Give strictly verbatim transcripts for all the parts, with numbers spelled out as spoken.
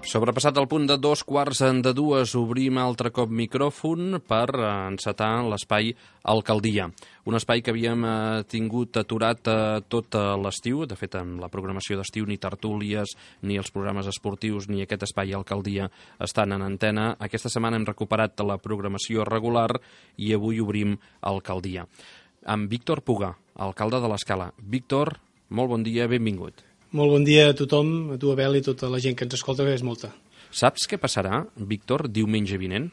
Sobrepassat el punt de dos quarts de dues, obrim altre cop micròfon per encetar l'espai Alcaldia. Un espai que havíem eh, tingut aturat eh, tot l'estiu. De fet, en la programació d'estiu ni tertúlies, ni els programes esportius, ni aquest espai Alcaldia estan en antena. Aquesta setmana hem recuperat la programació regular i avui obrim Alcaldia. Amb Víctor Puga, alcalde de l'Escala. Víctor, molt bon dia, benvingut. Molt bon dia a tothom, a tu, Abel, i tota la gent que ens escolta, que és molta. Saps què passarà, Víctor, diumenge vinent?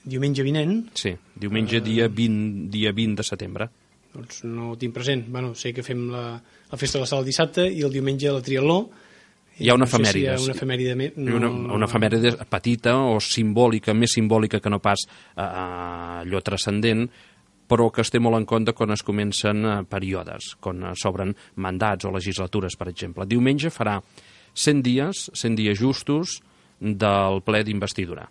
Diumenge vinent? Sí, diumenge uh... dia, vint, dia vint de setembre. Doncs no ho tinc present. Bueno, sé que fem la, la festa de la sala el dissabte i el diumenge la triatló. Hi ha una no sé efemèride. Si hi ha una efemèride, no, una, una efemèride petita o simbòlica, més simbòlica que no pas uh, allò transcendent, però que es té molt en compte quan es comencen eh, períodes, quan s'obren mandats o legislatures, per exemple. Diumenge farà cent dies, cent dies justos del ple d'investidura.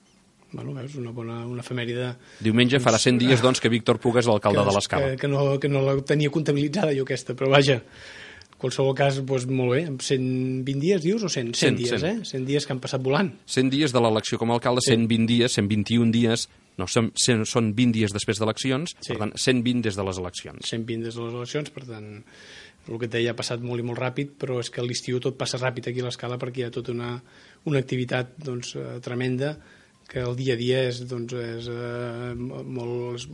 Bueno, veus, una bona una efemèride... Diumenge doncs, farà cent dies doncs, que Víctor Puga és l'alcalde de l'Escala. Que, que, no, que no la tenia comptabilitzada jo aquesta, però vaja, en qualsevol cas, doncs, molt bé, cent vint dies, dius, o cent? cent dies, cent. eh? cent dies que han passat volant. cent dies de l'elecció com a alcalde, sí. cent vint dies, cent vint-i-un dies... No, són, són vint dies després d'eleccions, sí. Per tant, cent vint des de les eleccions. cent vint des de les eleccions, per tant, el que et deia ha passat molt i molt ràpid, però és que a l'estiu tot passa ràpid aquí a l'Escala perquè hi ha tota una, una activitat doncs, eh, tremenda, que el dia a dia és, doncs, és eh, molt, és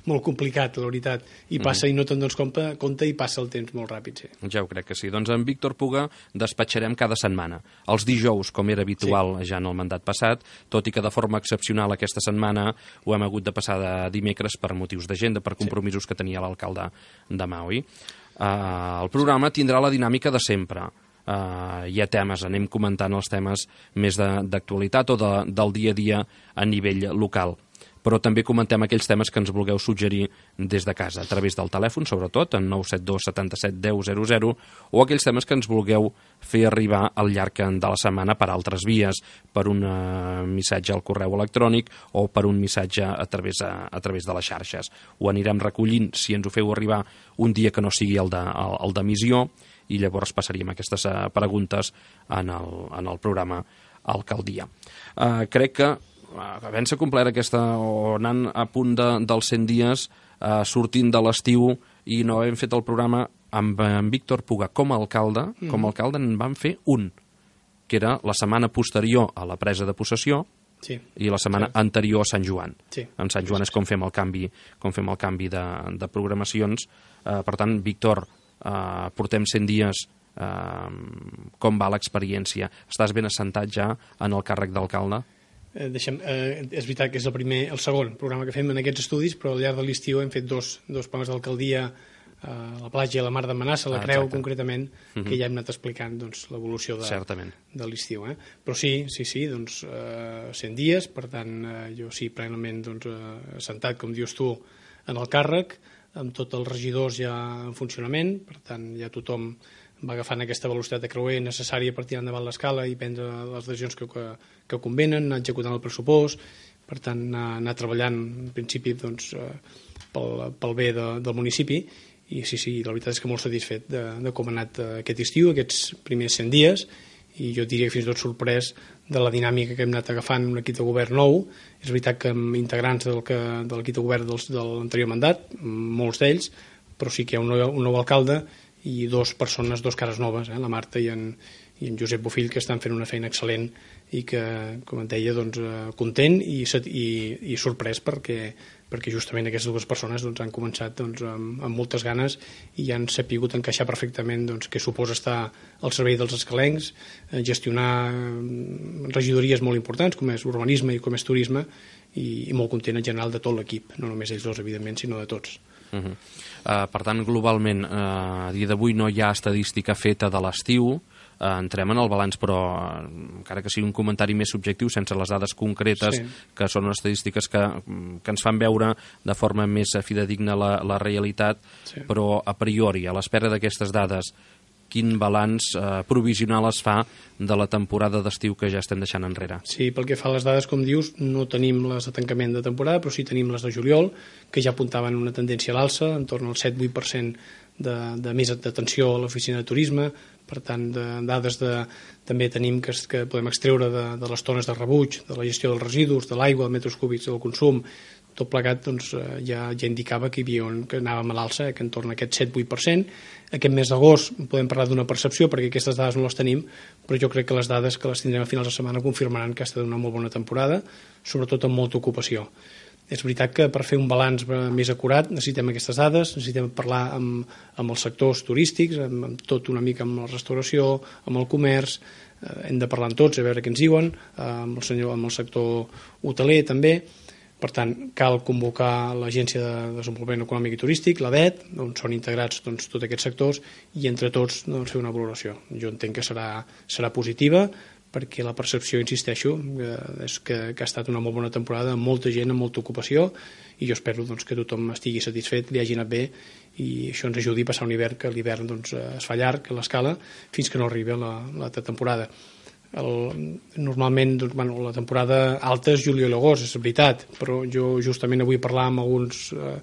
molt complicat, la veritat, i passa mm. i no te'n dones compte, compte i passa el temps molt ràpid. Sí. Ja ho crec que sí. Doncs en Víctor Puga despatxarem cada setmana. Els dijous, com era habitual sí. ja en el mandat passat, tot i que de forma excepcional aquesta setmana ho hem hagut de passar de dimecres per motius d'agenda, per compromisos sí. que tenia l'alcalde demà, oi? Uh, el programa tindrà la dinàmica de sempre. Uh, hi ha temes, anem comentant els temes més d'actualitat o de, del dia a dia a nivell local, però també comentem aquells temes que ens vulgueu suggerir des de casa, a través del telèfon, sobretot, en nou set dos setanta-set deu zero zero, o aquells temes que ens vulgueu fer arribar al llarg de la setmana per altres vies, per un uh, missatge al correu electrònic o per un missatge a través, a, a través de les xarxes. Ho anirem recollint si ens ho feu arribar un dia que no sigui el d'emissió, i llavors passaríem aquestes uh, preguntes en el, en el programa Alcaldia. Uh, crec que uh, havent-se complert aquesta, o anant a punt de, dels cent dies, uh, sortint de l'estiu i no hem fet el programa amb en Víctor Puga com a alcalde, mm. com a alcalde en vam fer un, que era la setmana posterior a la presa de possessió, sí. i la setmana sí. anterior a Sant Joan. Sí. En Sant Joan és com fem el canvi, com fem el canvi de, de programacions. Uh, per tant, Víctor, Uh, portem cent dies, uh, com va l'experiència? Estàs ben assentat ja en el càrrec d'alcalde? Eh, deixem, eh, és veritat que és el primer, el segon programa que fem en aquests estudis, però al llarg de l'estiu hem fet dos, dos programes d'alcaldia, uh, la platja i la mar de Manassa, la ah, Creu exacte. concretament, uh-huh. que ja hem anat explicant doncs, l'evolució de, de l'estiu. Eh? Però sí, sí, sí, doncs, uh, cent dies, per tant, uh, jo sí, plenament doncs, uh, assentat, com dius tu, en el càrrec, amb tots els regidors ja en funcionament, per tant ja tothom va agafant aquesta velocitat de creuer necessària per tirar endavant l'escala i prendre les decisions que, que, que convenen, anar executant el pressupost, per tant anar, anar treballant en principi doncs, pel, pel bé de, del municipi, i sí, sí, la veritat és que molt satisfet de, de com ha anat aquest estiu, aquests primers cent dies, i jo diria que fins i tot sorprès de la dinàmica que hem anat agafant un equip de govern nou. És veritat que amb integrants del que, de l'equip de govern dels, de l'anterior mandat, molts d'ells, però sí que hi ha un nou, un nou alcalde i dues persones, dos cares noves, eh, la Marta i en, i en Josep Bofill, que estan fent una feina excel·lent i que, com et deia, doncs, content i, i, i sorprès perquè, perquè justament aquestes dues persones doncs, han començat doncs, amb, amb moltes ganes i han sapigut encaixar perfectament doncs, què suposa estar al servei dels escalencs, eh, gestionar regidories molt importants com és urbanisme i com és turisme, i, i molt content en general de tot l'equip, no només ells dos, evidentment, sinó de tots. Uh -huh. uh, per tant, globalment, uh, a dia d'avui no hi ha estadística feta de l'estiu. Uh, entrem en el balanç, però uh, encara que sigui un comentari més subjectiu, sense les dades concretes, sí. que són estadístiques que, que ens fan veure de forma més fidedigna la, la realitat, sí. però a priori, a l'espera d'aquestes dades, quin balanç eh, provisional es fa de la temporada d'estiu que ja estem deixant enrere? Sí, pel que fa a les dades, com dius, no tenim les de tancament de temporada, però sí tenim les de juliol, que ja apuntaven una tendència a l'alça, en torn al set vuit per cent de, de més d'atenció a l'oficina de turisme, per tant, de dades de, també tenim que, que podem extreure de, de les tones de rebuig, de la gestió dels residus, de l'aigua, de metres cúbics del consum, tot plegat doncs, ja, ja indicava que hi havia un, que anàvem a l'alça, eh, que entorn a aquest set vuit per cent. Aquest mes d'agost podem parlar d'una percepció, perquè aquestes dades no les tenim, però jo crec que les dades que les tindrem a finals de setmana confirmaran que ha estat una molt bona temporada, sobretot amb molta ocupació. És veritat que per fer un balanç més acurat necessitem aquestes dades, necessitem parlar amb, amb els sectors turístics, amb, amb tot una mica amb la restauració, amb el comerç, eh, hem de parlar amb tots, a veure què ens diuen, eh, amb, el senyor, amb el sector hoteler també. Per tant, cal convocar l'Agència de Desenvolupament Econòmic i Turístic, l'A D E T, on són integrats doncs, tots aquests sectors, i entre tots doncs, fer una valoració. Jo entenc que serà, serà positiva, perquè la percepció, insisteixo, és que, que ha estat una molt bona temporada, amb molta gent, amb molta ocupació, i jo espero doncs, que tothom estigui satisfet, li hagi anat bé, i això ens ajudi a passar un hivern, que l'hivern doncs, es fa llarg a l'escala, fins que no arribi la, la temporada. El, normalment doncs, bueno, la temporada alta és juliol i agost, és veritat, però jo justament avui parlar amb alguns, eh,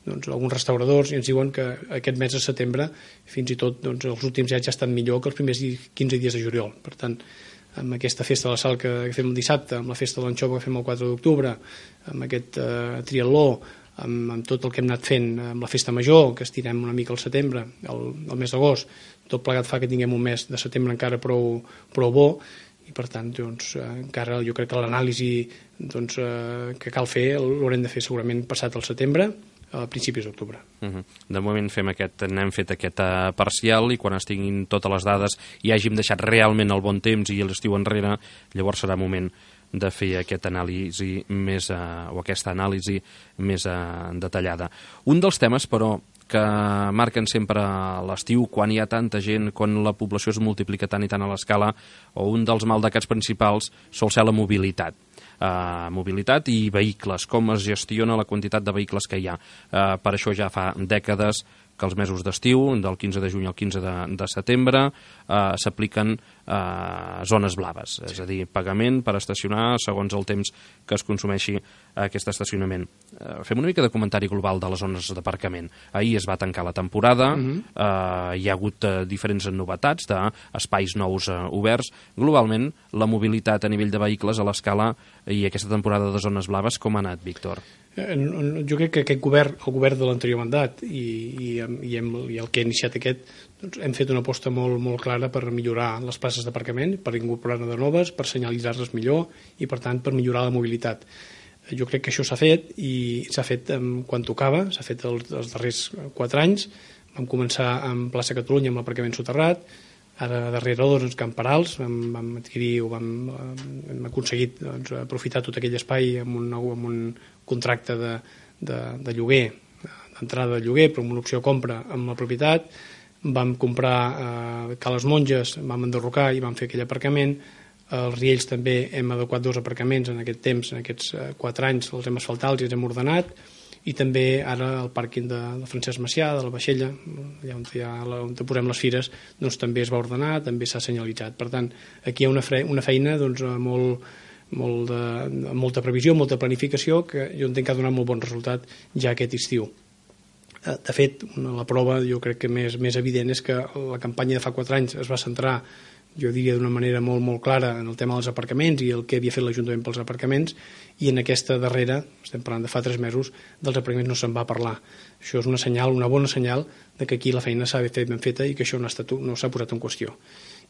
doncs, alguns restauradors i ens diuen que aquest mes de setembre fins i tot doncs, els últims anys ja estan millor que els primers quinze dies de juliol. Per tant, amb aquesta festa de la sal que fem el dissabte, amb la festa de l'anxova que fem el quatre d'octubre, amb aquest eh, triatló, amb, amb tot el que hem anat fent, amb la festa major, que estirem una mica al setembre, el, el mes d'agost, tot plegat fa que tinguem un mes de setembre encara prou, prou bo, i per tant doncs, encara jo crec que l'anàlisi doncs, eh, que cal fer l'haurem de fer segurament passat el setembre, a principis d'octubre. Uh-huh. De moment fem aquest, n'hem fet aquest uh, parcial, i quan es tinguin totes les dades i hàgim deixat realment el bon temps i l'estiu enrere, llavors serà moment de fer aquest anàlisi més, uh, o aquesta anàlisi més uh, detallada. Un dels temes, però, que marquen sempre l'estiu, quan hi ha tanta gent, quan la població es multiplica tant i tant a l'escala, o un dels maldecats principals sol ser la mobilitat. Uh, mobilitat i vehicles, com es gestiona la quantitat de vehicles que hi ha. Uh, per això ja fa dècades que els mesos d'estiu, del quinze de juny al quinze de, de setembre, uh, s'apliquen uh, zones blaves, és a dir, pagament per estacionar segons el temps que es consumeixi aquest estacionament. Uh, fem una mica de comentari global de les zones d'aparcament. Ahir es va tancar la temporada, uh-huh. uh, hi ha hagut uh, diferents novetats d'espais nous uh, oberts. Globalment, la mobilitat a nivell de vehicles a l'escala i aquesta temporada de zones blaves, com ha anat, Víctor? Jo crec que aquest govern, el govern de l'anterior mandat i, i, i, hem, i el que ha iniciat aquest, doncs hem fet una aposta molt, molt clara per millorar les places d'aparcament, per incorporar-ne de noves, per senyalitzar-les millor i, per tant, per millorar la mobilitat. Jo crec que això s'ha fet i s'ha fet quan tocava, s'ha fet els, els darrers quatre anys. Vam començar amb Plaça Catalunya amb l'aparcament soterrat, ara darrere doncs, Camp Perals vam, vam adquirir o vam, hem aconseguit doncs, aprofitar tot aquell espai amb un, amb un contracte de, de, de lloguer, d'entrada de lloguer, però amb una opció de compra amb la propietat. Vam comprar eh, Cales Monges, vam enderrocar i vam fer aquell aparcament. Als Riells també hem adequat dos aparcaments en aquest temps, en aquests eh, quatre anys, els hem asfaltat i els hem ordenat. I també ara el pàrquing de, de Francesc Macià, de la Vaixella, allà on, ha, on posem les fires, doncs també es va ordenar, també s'ha senyalitzat. Per tant, aquí hi ha una, fre, una feina doncs, molt, molt de, molta previsió, molta planificació, que jo entenc que ha donat molt bon resultat ja aquest estiu. De fet, la prova jo crec que més, més evident és que la campanya de fa quatre anys es va centrar, jo diria d'una manera molt, molt clara, en el tema dels aparcaments i el que havia fet l'Ajuntament pels aparcaments, i en aquesta darrera, estem parlant de fa tres mesos, dels aparcaments no se'n va parlar. Això és una senyal, una bona senyal de que aquí la feina s'ha fet ben feta i que això no, ha estat, no s'ha posat en qüestió.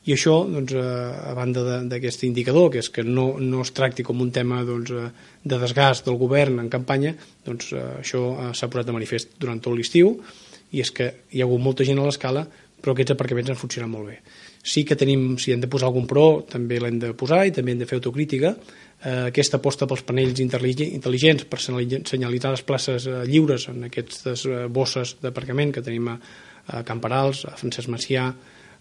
I això, doncs, a banda d'aquest indicador, que és que no, no es tracti com un tema doncs, de desgast del govern en campanya, doncs això s'ha posat de manifest durant tot l'estiu, i és que hi ha hagut molta gent a l'escala, però aquests aparcaments han funcionat molt bé. Sí que tenim, si hem de posar algun pro, també l'hem de posar i també hem de fer autocrítica. Eh, aquesta aposta pels panells intel·ligents per senyalitzar les places eh, lliures en aquestes eh, bosses d'aparcament que tenim a, a Camp Perals, a Francesc Macià,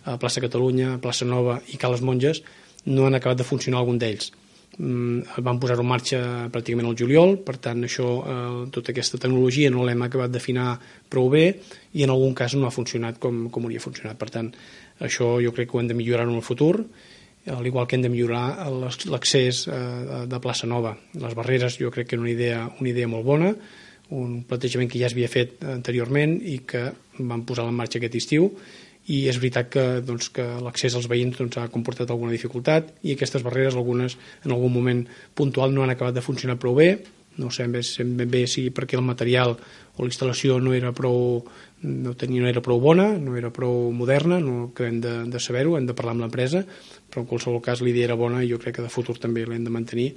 a Plaça Catalunya, a Plaça Nova i Cales Monges, no han acabat de funcionar algun d'ells. Mm, van posar-ho en marxa pràcticament al juliol, per tant això, eh, tota aquesta tecnologia no l'hem acabat d'afinar prou bé i en algun cas no ha funcionat com, com hauria funcionat. Per tant, això jo crec que ho hem de millorar en el futur, al igual que hem de millorar l'accés de Plaça Nova. Les barreres jo crec que és una idea, una idea molt bona, un plantejament que ja s'havia fet anteriorment i que vam posar en marxa aquest estiu, i és veritat que, doncs, que l'accés als veïns doncs, ha comportat alguna dificultat i aquestes barreres, algunes en algun moment puntual, no han acabat de funcionar prou bé. No sé ben bé si perquè el material o la instal·lació no era prou, no, tenia, no era prou bona, no era prou moderna, no acabem de, de saber-ho, hem de parlar amb l'empresa, però en qualsevol cas la idea era bona i jo crec que de futur també l'hem de mantenir,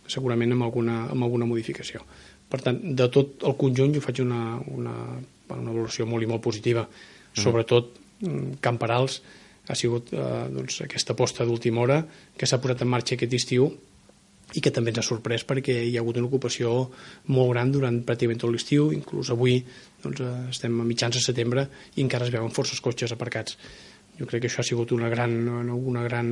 segurament amb alguna, amb alguna modificació. Per tant, de tot el conjunt jo faig una, una, una valoració molt i molt positiva, sobretot Can Perals ha sigut eh, doncs, aquesta aposta d'última hora que s'ha posat en marxa aquest estiu i que també ens ha sorprès perquè hi ha hagut una ocupació molt gran durant pràcticament tot l'estiu, inclús avui doncs, estem a mitjans de setembre i encara es veuen forces cotxes aparcats. Jo crec que això ha sigut una gran, una gran,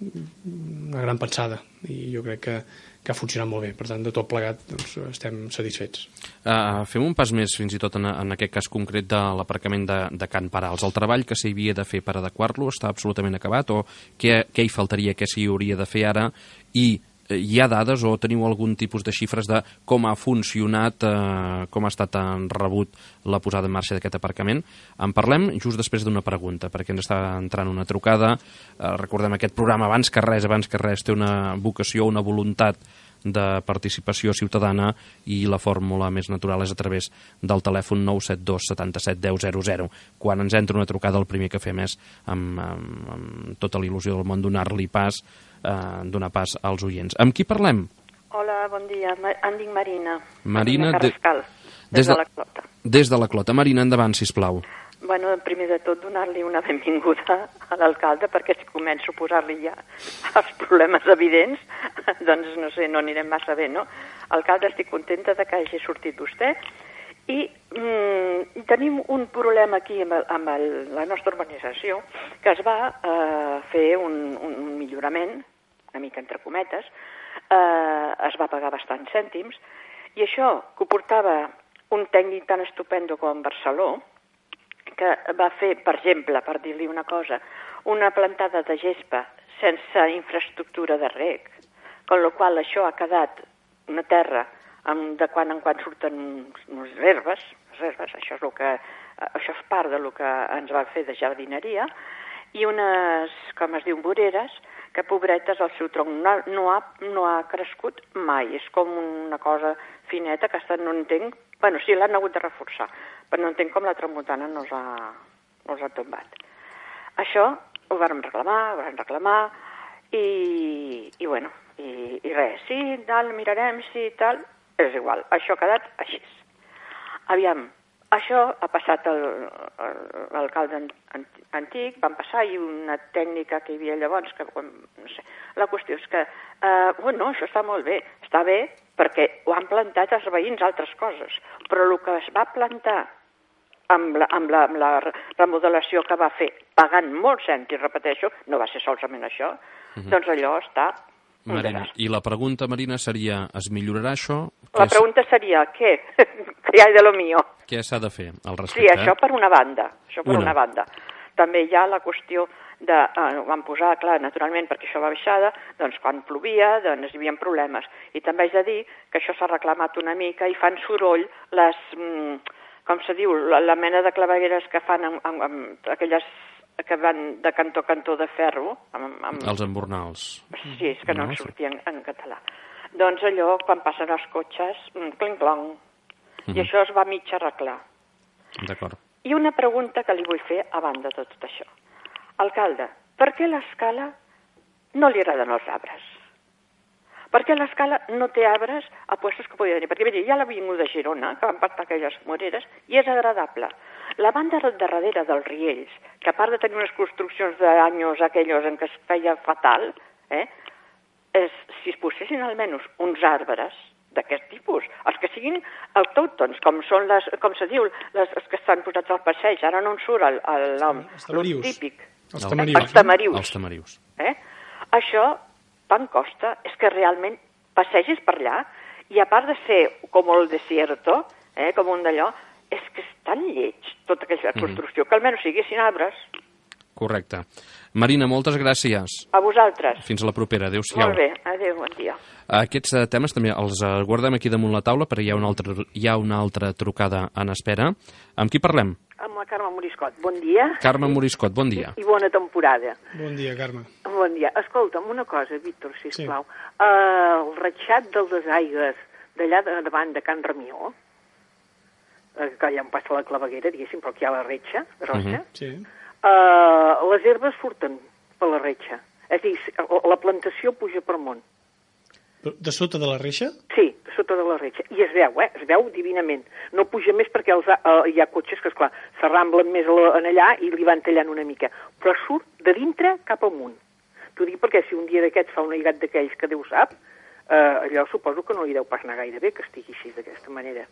una gran pensada i jo crec que, que ha funcionat molt bé. Per tant, de tot plegat doncs, estem satisfets. Uh, fem un pas més, fins i tot en, en aquest cas concret de l'aparcament de, de Can Perals. El treball que s'hi havia de fer per adequar-lo està absolutament acabat o què, què hi faltaria, què s'hi hauria de fer ara i hi ha dades o teniu algun tipus de xifres de com ha funcionat, eh, com ha estat rebut la posada en marxa d'aquest aparcament? En parlem just després d'una pregunta, perquè ens està entrant una trucada. Eh, recordem, aquest programa, abans que res, abans que res, té una vocació, una voluntat de participació ciutadana i la fórmula més natural és a través del telèfon nou set dos setanta-set deu zero zero. Quan ens entra una trucada, el primer que fem és, amb, amb, amb tota la il·lusió del món, donar-li pas, eh, donar pas als oients. Amb qui parlem? Hola, bon dia. Em dic Marina. Marina, Marina Carrascal, de, des, de, des de la Clota. Des de la Clota. Marina, endavant, sisplau. Bueno, primer de tot, donar-li una benvinguda a l'alcalde, perquè si començo a posar-li ja els problemes evidents, doncs no sé, no anirem massa bé, no? Alcalde, estic contenta de que hagi sortit vostè i mm, tenim un problema aquí amb, el, amb el, la nostra urbanització, que es va eh, fer un, un millorament, una mica entre cometes, eh, es va pagar bastants cèntims, i això que ho portava un tècnic tan estupendo com Barceló, que va fer, per exemple, per dir-li una cosa, una plantada de gespa sense infraestructura de reg, amb la qual això ha quedat una terra amb, de quan en quan surten unes herbes, herbes això, és el que, això és part del que ens va fer de jardineria, i unes, com es diu, voreres, que pobretes el seu tronc no, no, ha, no ha crescut mai, és com una cosa fineta que hasta no entenc, bueno, sí, l'han hagut de reforçar, però no entenc com la tramuntana no els ha, no els ha tombat. Això ho vam reclamar, ho vam reclamar, i, i bueno, i, i res, sí, tal, mirarem, sí, tal, és igual, això ha quedat així. Aviam, això ha passat al, al, l'alcalde antic, van passar, i una tècnica que hi havia llavors, que, no sé, la qüestió és que, eh, bueno, això està molt bé, està bé perquè ho han plantat els veïns altres coses, però el que es va plantar amb la, amb la, amb la remodelació que va fer, pagant molts cèntims, repeteixo, no va ser solament això, uh-huh. doncs allò està... Marina, i la pregunta, Marina, seria, es millorarà això? La pregunta seria, què? Què hi ha de lo mío? Què s'ha de fer al respecte? Sí, això per una banda, això per una, una banda. També hi ha la qüestió de, eh, van posar, clar, naturalment, perquè això va baixada, doncs quan plovia, doncs hi havia problemes. I també haig de dir que això s'ha reclamat una mica i fan soroll les, mm, com se diu, la, la mena de clavegueres que fan amb, amb, amb aquelles que van de cantó a cantó de ferro. Amb, amb... Els embornals. Sí, és que no, no em sortia en, en català. Doncs allò, quan passen els cotxes, clinc-clong, uh-huh. i això es va mig arreglar. D'acord. I una pregunta que li vull fer a banda de tot això. Alcalde, per què l'Escala no li agraden els arbres? Per què l'Escala no té arbres a puestos que podria tenir? Perquè mira, hi ha l'Avinguda de Girona, que van plantar aquelles moreres, i és agradable. La banda de darrere dels Riells, que a part de tenir unes construccions d'anys aquells en què es feia fatal, eh, és, si es posessin almenys uns arbres d'aquest tipus, els que siguin autòctons, com són les, com se diu, les, els que estan posats al passeig, ara no en surt el, el nom, el típic. Els tamarius. Els tamarius. Els tamarius. Eh? Això tant costa, és que realment passegis per allà, i a part de ser com el desierto, eh, com un d'allò, és que és tan lleig tota aquella construcció, mm-hmm. que almenys siguessin arbres. Correcte. Marina, moltes gràcies. A vosaltres. Fins a la propera. Adéu-siau. Molt bé, adéu, bon dia. Aquests uh, temes també els uh, guardem aquí damunt la taula, perquè hi ha una altra, hi ha una altra trucada en espera. Amb qui parlem? Amb la Carme Moriscot. Bon dia. Carme Moriscot, bon dia. I bona temporada. Bon dia, Carme. Bon dia. Escolta'm una cosa, Víctor, sisplau. Sí. Uh, el ratxat del Desaigues d'allà de, davant de Can Ramió, uh, que allà on passa la claveguera, diguéssim, però aquí hi ha la retxa grossa, uh -huh. Sí. uh, les herbes surten per la retxa. És a dir, la plantació puja per munt. De sota de la reixa? Sí, de sota de la reixa. I es veu, eh? Es veu divinament. No puja més perquè els, uh, hi ha cotxes que, esclar, s'arramblen més a la, en allà i li van tallant una mica. Però surt de dintre cap amunt. T'ho dic perquè si un dia d'aquests fa un aigat d'aquells que Déu sap, uh, allò suposo que no li deu pas anar gaire bé que estigui així d'aquesta manera.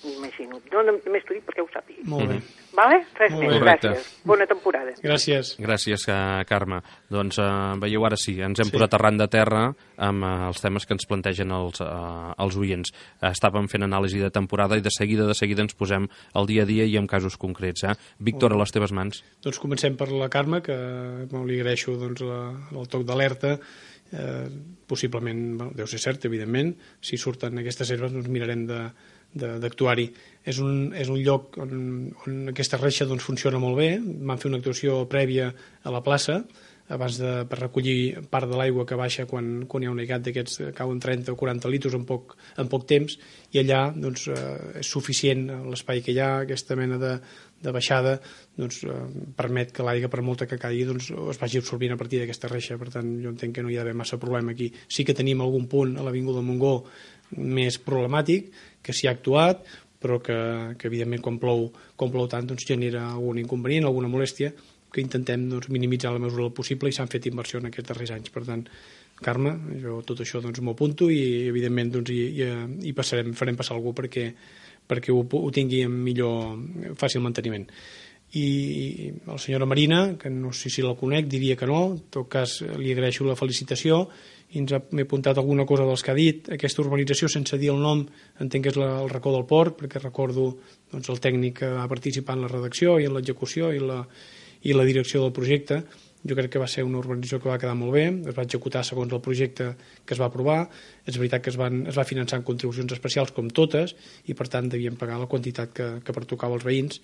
M'imagino. No, només t'ho dic perquè ho sàpiga. Molt bé. Vale? Res Molt més. bé. Correcte. Gràcies. Bona temporada. Gràcies. Gràcies, uh, Carme. Doncs uh, veieu, ara sí, ens hem Sí. posat arran de terra amb uh, els temes que ens plantegen els, uh, els oients. Uh, estàvem fent anàlisi de temporada i de seguida, de seguida ens posem al dia a dia i en casos concrets. Eh? Víctor, a les teves mans. Doncs comencem per la Carme, que bueno, li agraeixo doncs, la, el toc d'alerta. Eh, possiblement, bueno, deu ser cert, evidentment. Si surten aquestes herbes, doncs mirarem de d'actuar-hi. És un, és un lloc on, on aquesta reixa doncs, funciona molt bé. Vam fer una actuació prèvia a la plaça abans de, per recollir part de l'aigua que baixa quan, quan hi ha un aigat d'aquests que cauen trenta o quaranta litres en poc, en poc temps, i allà doncs, eh, és suficient l'espai que hi ha, aquesta mena de, de baixada doncs, eh, permet que l'aigua, per molta que caigui, doncs, es vagi absorbint a partir d'aquesta reixa. Per tant, jo entenc que no hi ha d'haver massa problema aquí. Sí que tenim algun punt a l'Avinguda Montgó més problemàtic, que s'hi ha actuat, però que, que evidentment quan plou, quan plou tant doncs, genera algun inconvenient, alguna molèstia, que intentem doncs, minimitzar la mesura del possible, i s'han fet inversió en aquests darrers anys. Per tant, Carme, jo tot això doncs, m'ho apunto i evidentment doncs, hi, hi, hi passarem, farem passar algú perquè, perquè ho, ho tingui en millor, fàcil manteniment. I la senyora Marina, que no sé si la conec, diria que no, en tot cas li agraeixo la felicitació, i ens ha, m'he apuntat alguna cosa dels que ha dit. Aquesta urbanització, sense dir el nom, entenc que és la, el racó del port, perquè recordo doncs, el tècnic que va participar en la redacció i en l'execució i la, i la direcció del projecte. Jo crec que va ser una urbanització que va quedar molt bé, es va executar segons el projecte que es va aprovar. És veritat que es, van, es va finançar amb contribucions especials com totes, i per tant devien pagar la quantitat que, que pertocava als veïns,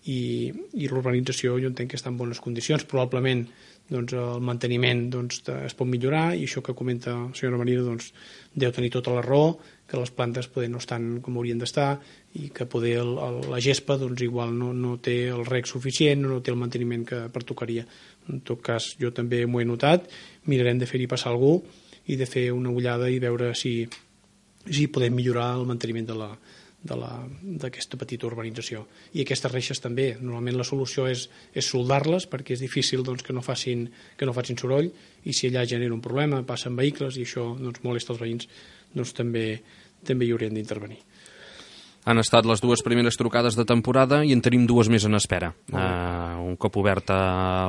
i, i l'urbanització jo entenc que està en bones condicions. Probablement doncs, el manteniment doncs, es pot millorar, i això que comenta la senyora Marina doncs, deu tenir tota la raó, que les plantes poder no estan com haurien d'estar, i que poder el, el, la gespa doncs, igual no, no té el reg suficient, no té el manteniment que pertocaria. En tot cas, jo també m'ho he notat, mirarem de fer-hi passar algú i de fer una ullada i veure si, si podem millorar el manteniment de la d'aquesta petita urbanització. I aquestes reixes també, normalment la solució és, és soldar-les, perquè és difícil doncs, que, no facin, que no facin soroll, i si allà genera un problema, passen vehicles i això doncs, molesta els veïns, doncs també, també hi haurien d'intervenir. Han estat les dues primeres trucades de temporada i en tenim dues més en espera. Uh, un cop oberta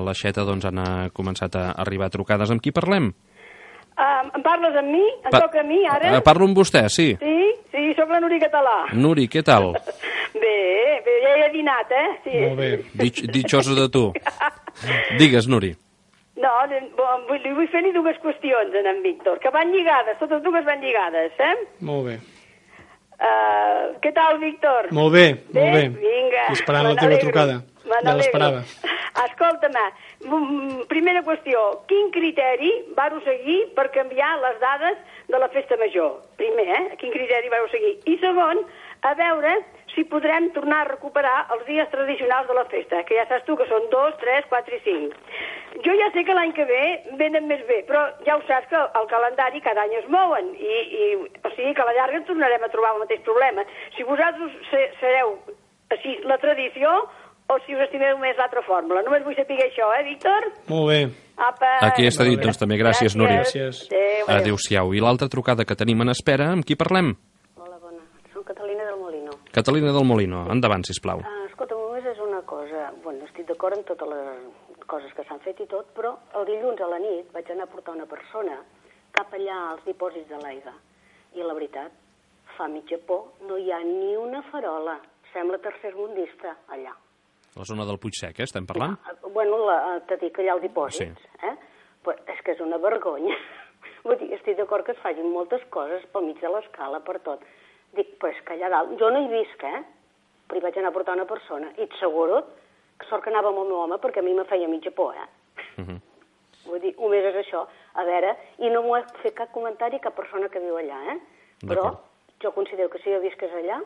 l'aixeta doncs han començat a arribar trucades. Amb qui parlem? Uh, em parles amb mi? Em Pa toca a mi, ara? Uh, parlo amb vostè, sí. Sí, sí, sóc la Nuri Català. Nuri, què tal? Bé, bé, ja he dinat, eh? Sí. Molt bé. Dich, ditxosa de tu. Digues, Nuri. No, vull, li vull fer-li dues qüestions en en Víctor, que van lligades, totes dues van lligades, eh? Molt bé. Uh, què tal, Víctor? Molt bé, bé? molt bé. Vinga. I esperant la teva trucada. Ja l'esperava. Escolta-me, primera qüestió, quin criteri vau seguir per canviar les dades de la festa major? Primer, eh? Quin criteri vau seguir? I segon, a veure si podrem tornar a recuperar els dies tradicionals de la festa, que ja saps tu que són dos, tres, quatre i cinc. Jo ja sé que l'any que ve venen més bé, però ja ho saps que el calendari cada any es mouen, i, i o sigui que a la llarga ens tornarem a trobar el mateix problema. Si vosaltres sereu així la tradició, o si us estimeu més l'altra fórmula. Només vull saber això, eh, Víctor? Molt bé. Apa. Aquí està dit, doncs també. Gràcies, Nuri. Gràcies. Adéu, Adéu-siau. I l'altra trucada que tenim en espera, amb qui parlem? Hola, bona. Soc Catalina del Molino. Catalina del Molino. Endavant, sisplau. Uh, escolta, només és una cosa. Bueno, estic d'acord amb totes les coses que s'han fet i tot, però el dilluns a la nit vaig anar a portar una persona cap allà als dipòsits de l'aigua. I la veritat, fa mitja por, no hi ha ni una farola. Sembla tercermundista allà. La zona del Puigsec, eh, estem parlant? No, bueno, la, t'ha dit que allà el dipòsits, sí. eh? Però és que és una vergonya. Vull dir, estic d'acord que es facin moltes coses pel mig de l'escala, per tot. Dic, però és que allà dalt... Jo no hi visc, eh? Però hi vaig anar a portar una persona. I t'asseguro que sort que anava amb el meu home perquè a mi me feia mitja por, eh? Uh -huh. Vull dir, només és això. A veure, i no m'ho ha fet cap comentari cap persona que viu allà, eh? Però jo considero que si jo visqués allà,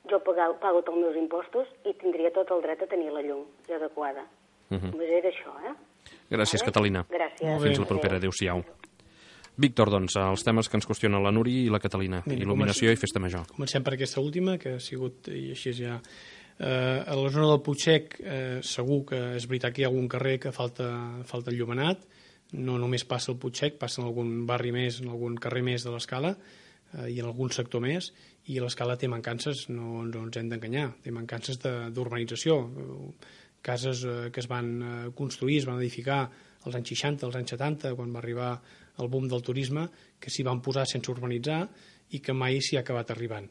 jo pago, pago tots els meus impostos i tindria tot el dret a tenir la llum adequada. Uh -huh. Només era això, eh? Gràcies, vale? Catalina. Gràcies. Fins la propera. Adéu-siau. Víctor, doncs, els temes que ens qüestionen la Nuri i la Catalina. Mira, il·luminació i festa major. Comencem per aquesta última, que ha sigut, i així ja... Eh, a la zona del Puigsec eh, segur que és veritat que hi ha algun carrer que falta, falta enllumenat. No només passa el Puigsec, passa en algun barri més, en algun carrer més de l'Escala eh, i en algun sector més, i l'Escala té mancances, no, no ens hem d'enganyar, té mancances d'urbanització. Cases eh, que es van eh, construir, es van edificar als anys seixanta, als anys setanta, quan va arribar el boom del turisme, que s'hi van posar sense urbanitzar i que mai s'hi ha acabat arribant.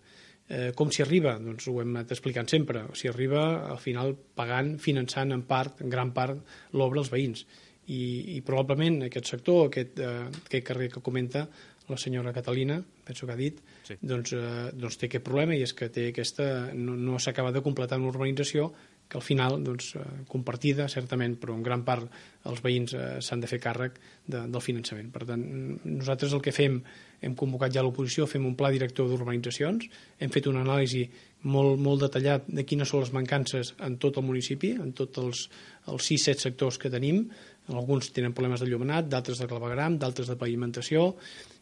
Eh, com s'hi arriba? Doncs ho hem anat explicant sempre. S'hi arriba al final pagant, finançant en part, en gran part, l'obra als veïns. I, i probablement aquest sector, aquest, eh, aquest carrer que comenta la senyora Catalina, penso que ha dit, sí. doncs, eh, doncs té aquest problema, i és que té aquesta, no, no s'acaba de completar una urbanització que al final, doncs, eh, compartida, certament, però en gran part els veïns eh, s'han de fer càrrec de, del finançament. Per tant, nosaltres el que fem, hem convocat ja l'oposició, fem un pla director d'urbanitzacions, hem fet una anàlisi molt, molt detallat de quines són les mancances en tot el municipi, en tots els, els sis set sectors que tenim. Alguns tenen problemes de llumenat, d'altres de clavegram, d'altres de pavimentació,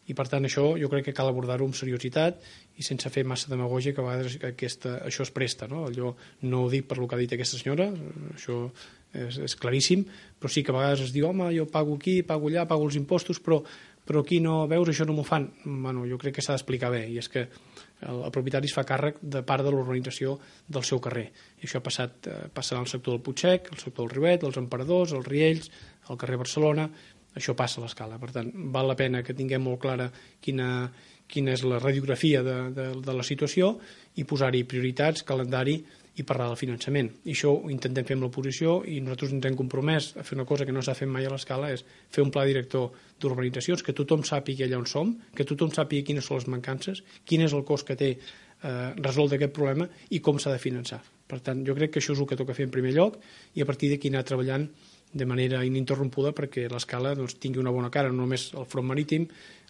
i per tant això jo crec que cal abordar-ho amb seriositat i sense fer massa demagògia, que a vegades aquesta, això es presta, no? Jo no ho dic per lo que ha dit aquesta senyora, això és, és claríssim, però sí que a vegades es diu, home, jo pago aquí, pago allà, pago els impostos, però, però aquí no, veus, això no m'ho fan. Bueno, jo crec que s'ha d'explicar bé, i és que el, el propietari es fa càrrec de part de l'urbanització del seu carrer, i això ha passat, eh, passarà al sector del Puigsec, el sector del Riuet, els Emperadors, els Riells, al carrer Barcelona. Això passa a l'Escala. Per tant, val la pena que tinguem molt clara quina, quina és la radiografia de, de, de la situació i posar-hi prioritats, calendari i parlar del finançament. I això ho intentem fer amb l'oposició, i nosaltres ens hem compromès a fer una cosa que no s'ha fet mai a l'Escala, és fer un pla director d'urbanitzacions, que tothom sàpiga allà on som, que tothom sàpiga quines són les mancances, quin és el cost que té eh, resoldre aquest problema i com s'ha de finançar. Per tant, jo crec que això és el que toca fer en primer lloc, i a partir d'aquí anar treballant de manera ininterrompuda perquè l'Escala doncs, tingui una bona cara, no només el front marítim,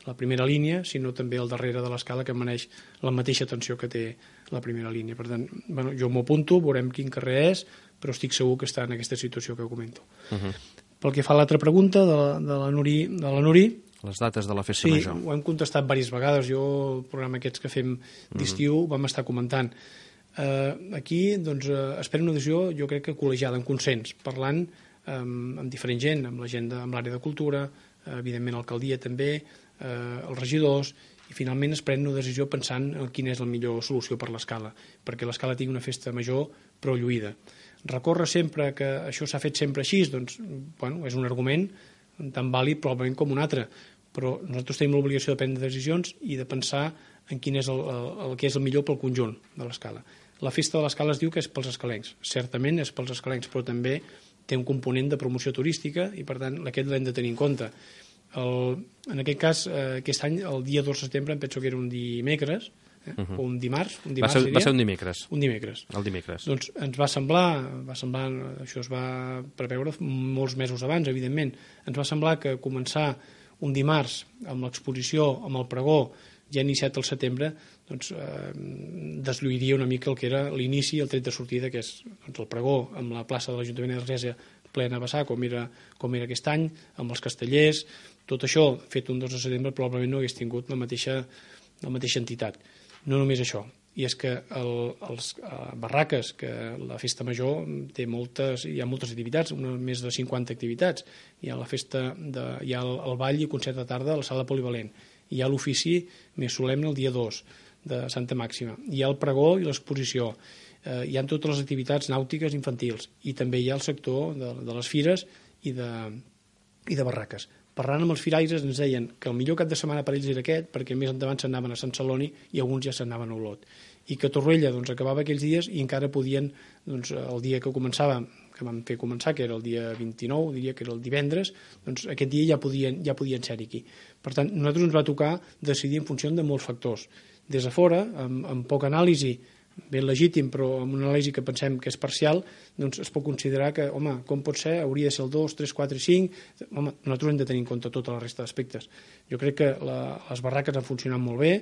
la primera línia, sinó també el darrere de l'Escala, que mereix la mateixa atenció que té la primera línia. Per tant, bueno, jo m'ho apunto, veurem quin carrer és, però estic segur que està en aquesta situació que comento. Uh -huh. Pel que fa a l'altra pregunta de la, de la Nuri, de la Nuri, les dates de la festa sí, major. Sí, ho hem contestat diverses vegades. Jo, el programa aquests que fem d'estiu, uh -huh. vam estar comentant. Uh, aquí, doncs, uh, espero una decisió, jo crec que col·legiada, en consens, parlant amb, amb diferent gent, amb la gent de, amb l'àrea de cultura, eh, evidentment l'alcaldia també, eh, els regidors, i finalment es pren una decisió pensant en quina és la millor solució per l'Escala, perquè l'Escala tingui una festa major però lluïda. Recórrer sempre que això s'ha fet sempre així, doncs, bueno, és un argument tan vàlid probablement com un altre, però nosaltres tenim l'obligació de prendre decisions i de pensar en quin és el, el, el que és el millor pel conjunt de l'Escala. La festa de l'Escala es diu que és pels escalencs, certament és pels escalencs, però també té un component de promoció turística i, per tant, aquest l'hem de tenir en compte. El, en aquest cas, eh, aquest any, el dia dos de setembre, em penso que era un dimecres, eh, uh -huh. o un dimarts. Un dimarts va, ser, va ser un dimecres. Un dimecres. El dimecres. Doncs ens va semblar, va semblar, això es va preveure molts mesos abans, evidentment, ens va semblar que començar un dimarts amb l'exposició, amb el pregó, ja iniciat el setembre, doncs, eh, deslluiria una mica el que era l'inici, el tret de sortida, que és doncs, el pregó amb la plaça de l'Ajuntament d'Argèsia plena a vessar, com era, com era aquest any, amb els castellers, tot això, fet un dos de setembre, probablement no hagués tingut la mateixa, la mateixa entitat. No només això, i és que el, els uh, barraques, que la festa major té moltes, hi ha moltes activitats, una, més de cinquanta activitats. Hi ha la festa, de, hi ha el, el ball i concert de tarda a la sala polivalent, hi ha l'ofici més solemne el dia dos de Santa Màxima, hi ha el pregó i l'exposició, eh, hi ha totes les activitats nàutiques infantils, i també hi ha el sector de, de les fires i de, i de barraques. Parlant amb els firaires ens deien que el millor cap de setmana per ells era aquest, perquè més endavant s'anaven a Sant Celoni i alguns ja s'anaven a Olot. i que Torroella doncs, acabava aquells dies i encara podien, doncs, el dia que començava, que vam fer començar, que era el dia vint-i-nou, diria que era el divendres, doncs aquest dia ja podien, ja podien ser-hi aquí. Per tant, a nosaltres ens va tocar decidir en funció de molts factors. Des de fora, amb, amb poca anàlisi, ben legítim, però amb una anàlisi que pensem que és parcial, doncs es pot considerar que, home, com pot ser? Hauria de ser el dos, tres, quatre, cinc... Home, nosaltres hem de tenir en compte tota la resta d'aspectes. Jo crec que la, les barraques han funcionat molt bé,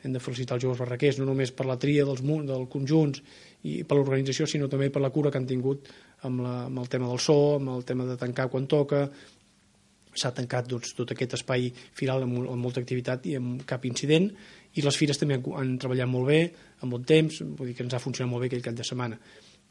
hem de felicitar els joves barraquers, no només per la tria dels, dels conjunts i per l'organització, sinó també per la cura que han tingut amb, la, amb el tema del so, amb el tema de tancar quan toca. S'ha tancat doncs, tot aquest espai firal amb, amb molta activitat i amb cap incident, i les fires també han, han treballat molt bé, amb bon temps, vull dir que ens ha funcionat molt bé aquell cap de setmana.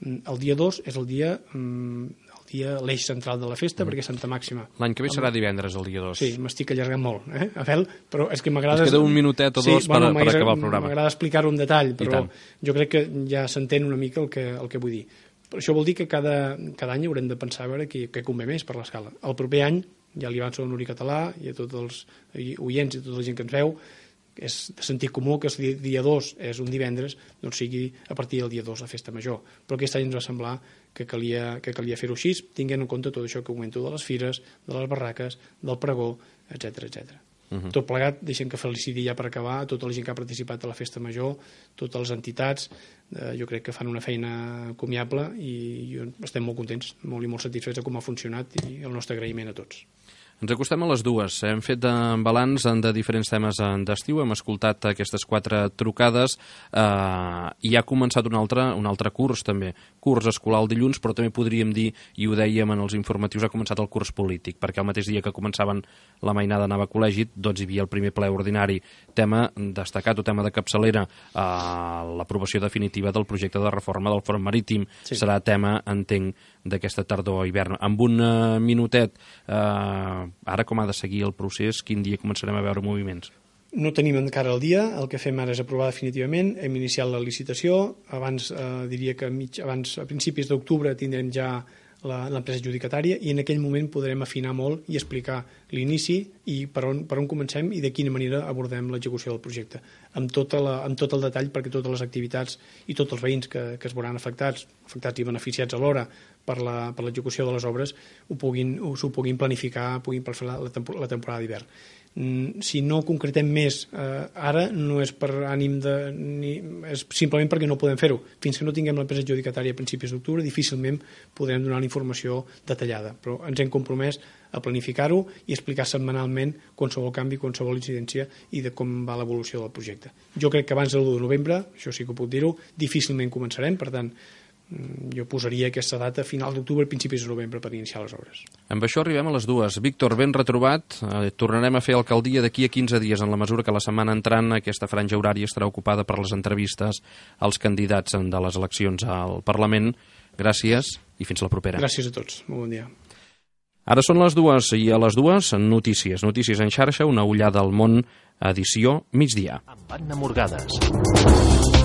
El dia dos és el dia, el dia l'eix central de la festa, mm. perquè és Santa Màxima. L'any que ve serà divendres, el dia dos. Sí, m'estic allargant molt, eh, Abel, però és que m'agrada... Ens queda un minutet o dos sí, bueno, per, per acabar el programa. M'agrada explicar-ho en detall, però jo crec que ja s'entén una mica el que, el que vull dir. Però això vol dir que cada, cada any haurem de pensar a veure què, què convé més per l'escala. El proper any, ja li avanço a Nuri Català i a tots els oients i a tota la gent que ens veu, és de sentit comú que el dia dos és un divendres, doncs sigui a partir del dia dos la festa major. Però aquest any ens va semblar que calia, que calia fer-ho així, tinguent en compte tot això que comento de les fires, de les barraques, del pregó, etcètera, etcètera. Uh-huh. Tot plegat, deixem que feliciti ja per acabar a tota la gent que ha participat a la festa major, totes les entitats, eh, jo crec que fan una feina encomiable i, i estem molt contents, molt i molt satisfets de com ha funcionat i el nostre agraïment a tots. Ens acostem a les dues. Hem fet balanç de diferents temes d'estiu, hem escoltat aquestes quatre trucades eh, i ha començat un altre, un altre curs també, curs escolar el dilluns, però també podríem dir, i ho dèiem en els informatius, ha començat el curs polític, perquè el mateix dia que començaven la mainada anava a col·legi, doncs hi havia el primer ple ordinari, tema destacat o tema de capçalera, eh, l'aprovació definitiva del projecte de reforma del front marítim, sí. Serà tema, entenc, d'aquesta tardor o hivern. Amb un uh, minutet, eh, ara com ha de seguir el procés, quin dia començarem a veure moviments? No tenim encara el dia, el que fem ara és aprovar definitivament, hem iniciat la licitació, abans eh, diria que mig, abans, a principis d'octubre tindrem ja l'empresa adjudicatària i en aquell moment podrem afinar molt i explicar l'inici i per on, per on comencem i de quina manera abordem l'execució del projecte, amb, tota la, amb tot el detall perquè totes les activitats i tots els veïns que, que es veuran afectats, afectats i beneficiats alhora per l'execució de les obres ho puguin, s'ho puguin planificar, puguin fer la, la temporada d'hivern. Si no concretem més eh, ara no és per ànim de ni, és simplement perquè no podem fer-ho fins que no tinguem l'empresa adjudicatària a principis d'octubre difícilment podrem donar la informació detallada, però ens hem compromès a planificar-ho i explicar setmanalment qualsevol canvi, qualsevol incidència i de com va l'evolució del projecte. Jo crec que abans del l'u de novembre, això sí que ho puc dir-ho, difícilment començarem, per tant jo posaria aquesta data a final d'octubre, principis de novembre per iniciar les obres. Amb això arribem a les dues. Víctor, ben retrobat. Eh, tornarem a fer alcaldia d'aquí a quinze dies, en la mesura que la setmana entrant aquesta franja horària estarà ocupada per les entrevistes als candidats de les eleccions al Parlament. Gràcies i fins la propera. Gràcies a tots. Molt bon dia. Ara són les dues i a les dues notícies. Notícies en xarxa, una ullada al món, edició migdia. Amb Anna Morgades.